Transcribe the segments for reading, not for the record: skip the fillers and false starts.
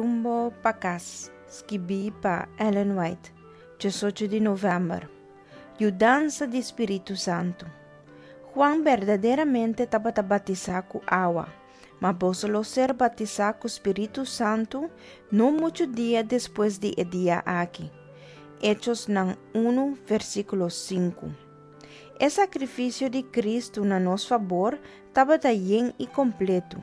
Rumbo pa Kas, skibí pa Ellen White, 18 di novèmber. Yudansa di Spiritu Santu. Juan berdaderamente tabata batisá ku awa, ma boso lo ser batisá ku Spiritu Santu no muchu dia despues di e dia aki. Echosnan 1, versíkulo 5. E sakrifisio di Kristu na nos fabor tabata yen i kompletu.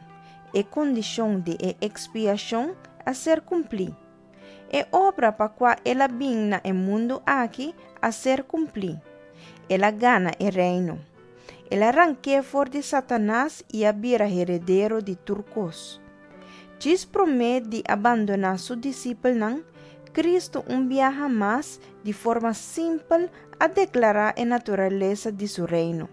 E kondishon di e ekspiashon a ser kumplí. E obra pa kua el a bin na e mundu aki a ser kumplí. El a gana e reino. El a rank'é for di Satanas i a bira heredero di tur kos. Djis promé di a bandoná su disipelnan, Kristu un biaha mas di forma simpel a deklará e naturalesa di su Reino.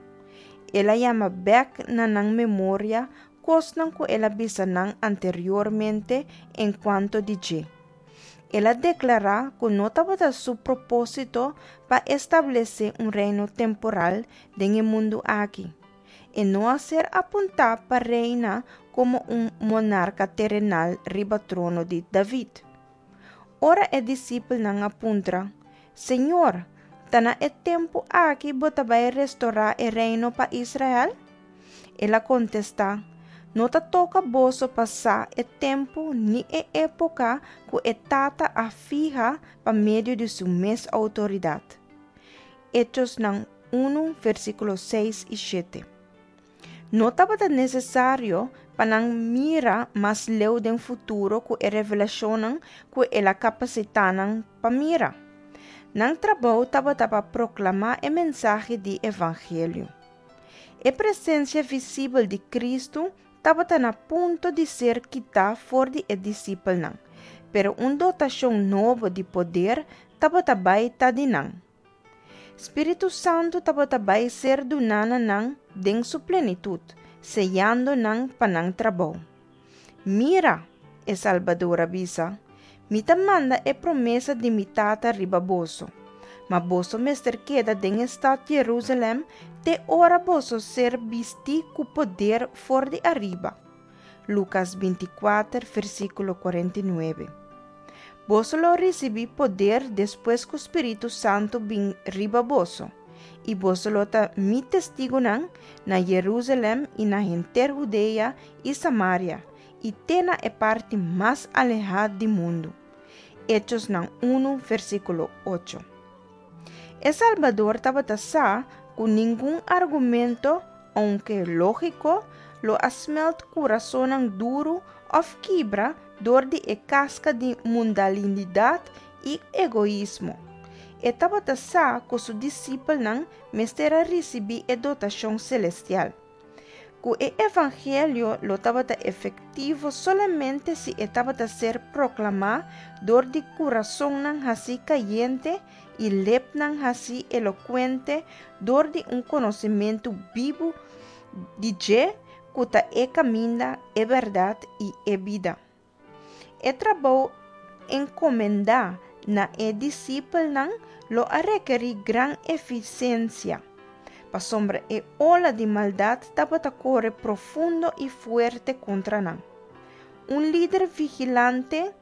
El a yama bèk na nan memoria kosnan ku el a bisa nan anteriormente enkuanto di dje. El a deklará ku no tabata su propósito pa establesé un reino temporal den e mundu aki. E no a ser apuntá pa reina komo un monarka terenal riba trono di David. Ora e disipelnan a puntra, Señor, ta na e tempu aki bo ta bai restorá e reino pa Israel? El a kontestá, No ta toka boso pa sa e tempu ni e époka ku e Tata a fiha pa medio di su mes outoridat. Echosnan 1, versíkulo 6 i 7. No tabata nesesario pa nan mira mas leu den futuro ku e revelashonnan ku el a kapasitá nan pa mira. Nan trabou tabata pa proklamá e mensahe di evangelio. E presensia visibel di Kristu tabata na punto di ser kitá for di e disipelnan, pero un dotashon nobo di poder tabata bai ta di nan. Spiritu Santu tabata bai ser duná na nan den su plenitut, seyando nan pa nan trabou. Mira, e Salbador a bisa, Mi ta manda e promesa di mi Tata riba boso, ma boso mester keda den e stat Jerusalèm te ora boso ser bistí ku poder for di ariba. Lukas 24, versíkulo 49. Boso lo risibí poder despues ku spiritu santu bin riba boso, i boso lo ta mi testigunan na Jerusalèm i na henter Hudea i Samaria i te na e parti mas alehá di mundu. Echosnan 1, versíkulo 8. E Salbador tabata sa ku ningun argumento, ounke lógiko, lo a smèlt kurasonnan duru òf kibra dor di e kaska di mundalinidat i egoismo. E tabata sa ku su disipelnan mester a risibí e dotashon selestial. Ku e evangelio lo tabata efektivo solamente si e tabata ser proklamá dor di kurasonnan hasí kayente i lepnan hasí elokuente dor di un konosementu bibu di dje ku ta e kaminda, e bèrdat i e bida. E trabou enkomendá na e disipelnan lo a rekerí gran efisensia, pasobra e ola di maldat tabata kore profundo i fuerte kontra nan. Un lider vigilante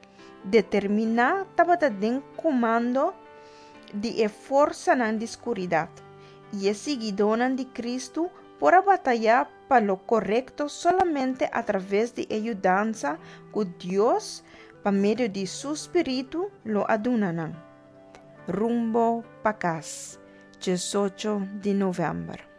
determiná tabata den komando di e forsanan di skuridat, i e siguidónan di Kristu por a batayá pa lo korekto solamente atraves di e yudansa ku Dios pa medio di su spiritu lo a duna nan. Rumbo pa kas, 18 di novèmber.